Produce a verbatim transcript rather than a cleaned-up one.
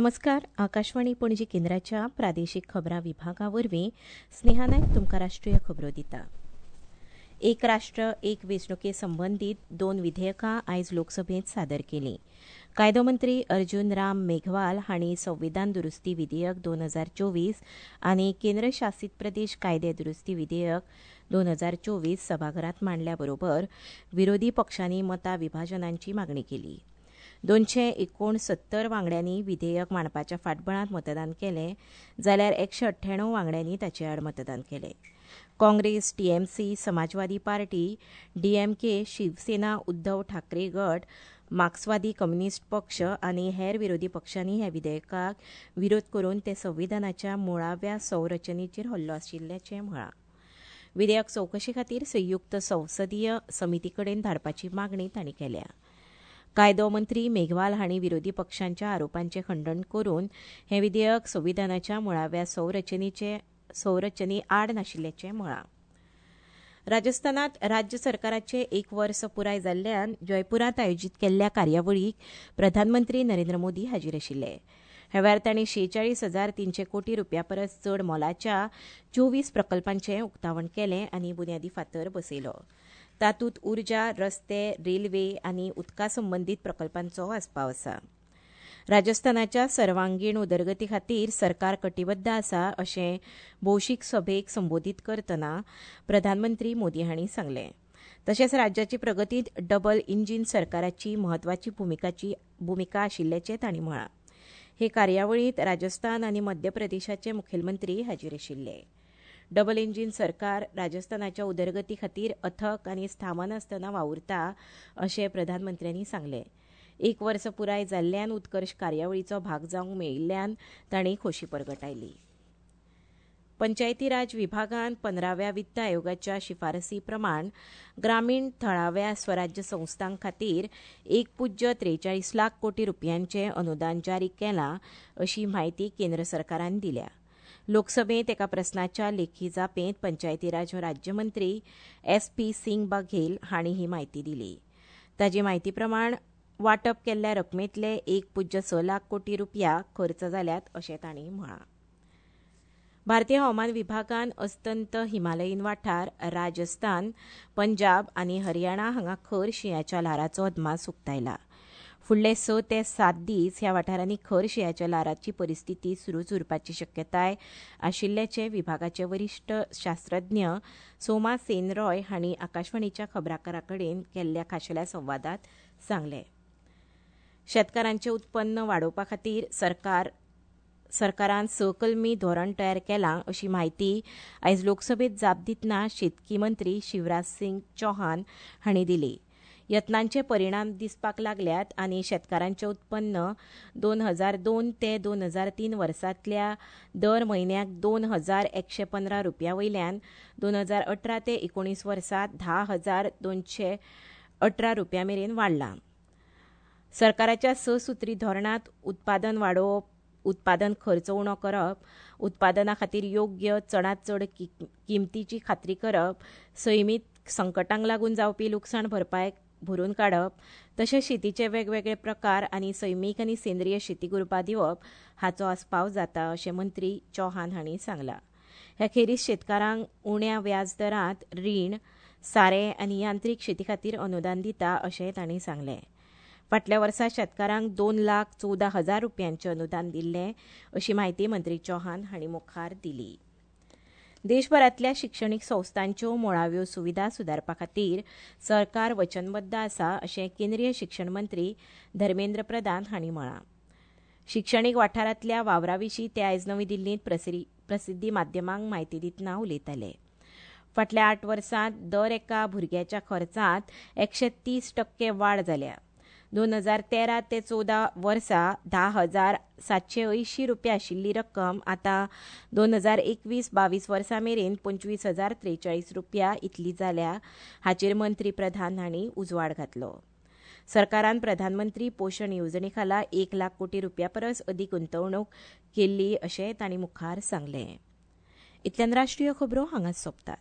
नमस्कार. आकाशवाणी पणजी केंद्राच्या प्रादेशीक खबरां विभागा वरवीं स्नेहा नायक तुमकां राष्ट्रीय खबरो दिता. एक राष्ट्र एक वेंचणुके संबंदीत दोन विधेयकां आयज लोकसभेंत सादर केलीं. कायदो मंत्री अर्जुन राम मेघवाल हांणी संविधान दुरुस्ती विधेयक दोन हजार चोवीस आनी केंद्रशासीत प्रदेश कायदे दुरुस्ती विधेयक दोन हजार चोवीस सभाघरांत मांडल्या बरोबर विरोधी पक्षांनी मतां विभाजनाची मागणी केली. दोनशे एकोणसत्तर वांगड्यांनी विधेयक मांडपाच्या फाटबळांत मतदान केलें जाल्यार एकशे अठ्ठ्याण्णव वांगड्यांनी ताचे आड मतदान केलें. Congress, TMC, Samajwadi party, DMK, Shiv Sena, Uddhav Thackeray गट, मार्क्सवादी कम्युनिस्ट पक्ष आनी हेर विरोधी पक्षांनी ह्या विधेयकाक विरोध करून ते संविधानाच्या मुळाव्या संरचनेचेर हल्लो आशिल्ल्याचें म्हळां. विधेयक चवकशे खातीर संयुक्त संसदीय समिती कडेन धाडपाची मागणी तांणी केल्या. कायदो मंत्री मेघवाल हांणी विरोधी पक्षांच्या आरोपांचें खंडण करून हें विधेयक संविधानाच्या मुळाव्या संरचनेचे संरचने आड नाशिल्ल्याचें म्हळां. राजस्थानांत राज्य सरकाराचें एक वर्स पुराय जाल्ल्यान जयपुरांत आयोजीत केल्ल्या कार्यावळीक प्रधानमंत्री नरेंद्र मोदी हाजीर आशिल्ले. ह्या वेळार तांणी शेचाळीस हजार तीनशे कोटी रुपया परस चड मोलाच्या चोवीस प्रकल्पांचें उक्तावण केलें आनी बुन्यादी फातर बसयलो. तातूंत उर्जा, रस्ते, रेल्वे आनी उदका संबंदीत प्रकल्पांचो आस्पाव आसा. राजस्थानाच्या सर्वांगीण उदरगती खातीर सरकार कटिबद्ध आसा अशें भौशीक सभेक संबोधीत करतना प्रधानमंत्री मोदी हांणी सांगलें. तशेंच राज्याची प्रगतींत डबल इंजीन सरकाराची म्हत्वाची भुमिकाची भुमिका आशिल्ल्याचें तांणी म्हळां. हे कार्यावळींत राजस्थान आनी मध्य प्रदेशाचे मुखेलमंत्री हाजीर आशिल्ले. डबल इंजीन सरकार राजस्थानाच्या उदरगती खातीर अथक आनी थांबनासतना वावुरता अशें प्रधानमंत्र्यांनी सांगलें. एक वर्स पुराय जाल्ल्यान उत्कर्श कार्यावळीचो भाग जावंक मेळिल्ल्यान तांणी खोशी परगटायली. पंचायती राज विभागान पंदराव्या वित्त आयोगाच्या शिफारसी प्रमाण ग्रामीण थळाव्या स्वराज्य संस्थां खातीर एक पुज्य त्रेचाळीस लाख कोटी रुपयांचें अनुदान जारी केलां अशी म्हायती केंद्र सरकारान दिल्या. लोकसभेंत एका प्रस्नाच्या लेखी जापेंत पंचायती राज राज्यमंत्री एस पी सिंग बघेल हांणी ही म्हायती दिली. ताचे म्हायती प्रमाण वांटप केल्ल्या रकमेंतले एक पुज्य स लाख कोटी रुपया खर्च जाल्यात अशें तांणी म्हळां. भारतीय हवामान विभागान अस्तंत हिमालयीन वाठार, राजस्थान, पंजाब आनी हरियाणा हांगा खर शिंयाच्या ल्हाराचो अदमास उक्तायला. फुडले स ते सात दीस ह्या वाठारांनी खर शिंयाच्या ल्हाराची परिस्थिती सुरूच उरपाची शक्यताय आशिल्ल्याचें विभागाचे वरिश्ठ शास्त्रज्ञ सोमा सेन रॉय हांणी आकाशवाणीच्या खबराकारा कडेन केल्ल्या खाशेल्या संवादांत सांगलें. शेतकारांचें उत्पन्न वाडोवपा खातीर सरकार सरकारान स कलमी धोरण तयार केलां अशी म्हायती आयज लोकसभेंत जाप दितना शेतकी मंत्री शिवराज सिंग चौहान हांणी दिली. यत्नांचे परिणाम दिसपाक लागल्यात आनी शेतकारांचें उत्पन्न दोन हजार दोन ते दोन हजार तीन वर्सांतल्या दर म्हयन्याक दोन हजार एकशे पंदरा रुपया वयल्यान दोन हजार अठरा ते एकोणीस वर्सा धा हजार दोनशे अठरा रुपया मेरेन वाडलां. सरकाराच्या स सुत्री धोरणांत उत्पादन वाडोवप, उत्पादन खर्च उणो करप, उत्पादना खातीर योग्य चडांत चड किमतीची खात्री करप, सैमीक संकटांक लागून जावपी लुकसाण भरपाय भरून काडप, तशेंच शेतीचे वेगवेगळे प्रकार आनी सैमीक आनी सेंद्रीय शेती उर्बा दिवप हाचो आस्पाव जाता अशें मंत्री चौहान हांणी सांगलां. ह्या खेरीज शेतकारांक उण्या व्याज दरांत रीण, सारें आनी यांत्रीक शेती खातीर अनुदान दिता अशें तांणी सांगलें. फाटल्या वर्सा शेतकारांक दोन लाख चवदा हजार रुपयांचें अनुदान दिल्लें अशी म्हायती मंत्री चौहान हांणी मुखार दिली. देशभरांतल्या शिक्षणीक संस्थांच्यो मुळाव्यो सुविधा सुदारपा खातीर सरकार वचनबद्ध आसा अशें केंद्रीय शिक्षण मंत्री धर्मेंद्र प्रधान हांणी म्हळां. शिक्षणीक वाठारांतल्या वावरा विशीं ते आयज नवी दिल्लींत प्रसिद्धी माध्यमांक म्हायती दितना उलयताले. फाटल्या आठ वर्सांत दर एका भुरग्याच्या खर्चांत एकशे तीस टक्के वाड जाल्या. दोन हजार तेरा ते चवदा वर्सा धा हजार सातशे अंयशीं रुपया आशिल्ली रक्कम आतां दोन हजार एकवीस बावीस वर्सा मेरेन पंचवीस हजार त्रेचाळीस रुपया इतली जाल्या हाचेर मंत्री प्रधान हांणी उजवाड घातलो. सरकारान प्रधानमंत्री पोशण येवजणे खाला एक लाख कोटी रुपया परस अदीक गुंतवणूक केल्ली अशें तांणी मुखार सांगलें. इतल्यान राष्ट्रीय खबरो हांगाच सोंपतात.